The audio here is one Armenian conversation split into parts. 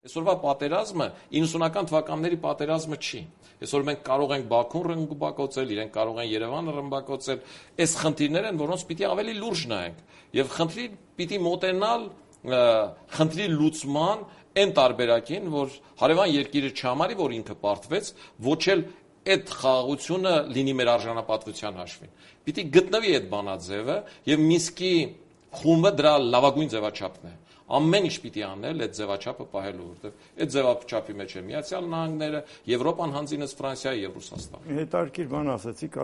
Այսօրվա պատերազմը 90-ական թվականների պատերազմը չի։ Այսօր մենք կարող ենք Բաքուն ռմբակոծել, իրենք կարող են Երևանը ռմբակոծել։ Այս խնդիրներ են, որոնց պիտի ավելի լուրջ նայենք։ Եվ խնդրին պիտի մոտենալ խնդրի լուծման այն տարբերակին, որ հարևան երկիրը չհամարի, որ ինքը պարտվեց, ոչ էլ այդ խաղաղությունը լինի մեր արժանապատվության հաշվին։ Պիտի գտնվի այդ բանաձևը եւ Մինսկի խումբը դրա լավագույն ձևաչափն է։ Ամեն ինչ պիտի անել այդ ձևաչափը պահելու, որովհետև այդ ձևաչափի մեջ է Միացյալ Նահանգները, Եվրոպան հանձինս Ֆրանսիայի եւ Ռուսաստանը։ Հետարքիր բան ասացիք,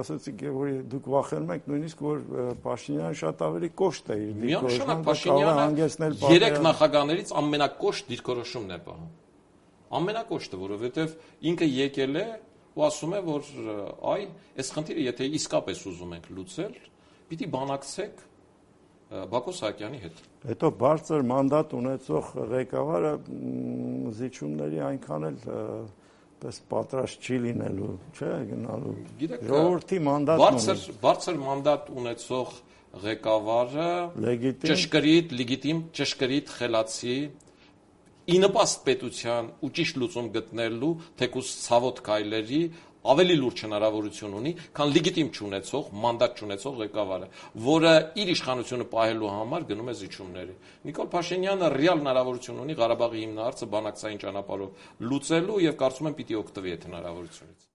որ դուք վախենում եք նույնիսկ որ Փաշինյանը շատ ավելի կոշտ է իր դիրքորոշումը, Փաշինյանը երեք նախագահներից ամենակոշտ դիրքորոշումն է պահում։ Ամենակոշտը, որովհետև ինքը եկել է ու ասում է, որ այս խնդիրը եթե իսկապես ուզում ենք լուծել, պիտի բանակցեք Բակո Սահակյանի հետ։ Հետո բարձր մանդատ ունեցող ղեկավարը զիջումների այնքան էլ պես պատրաստ չի լինելու, չէ, գնալու։ Ժողովրդի մանդատն ունի։ Բարձր մանդատ ունեցող ղեկավարը ճշգրիտ, լեգիտիմ, ճշգրիտ խելացի ի նպաստ պետության ու ճիշտ լուծում գտնելու թեկուզ ցավոտ քայլերի ավելի լուրջ հնարավորություն ունի, քան լեգիտիմ չունեցող, մանդատ չունեցող ղեկավարը, որը իր իշխանությունը պահելու համար գնում է զիջումների։ Նիկոլ Փաշինյանը ռեալ հնարավորություն ունի Ղարաբաղի հիմնահարցը բանակցային ճանապարհով լուծելու եւ կարծում եմ պիտի օգտվի այդ հնարավորությունից։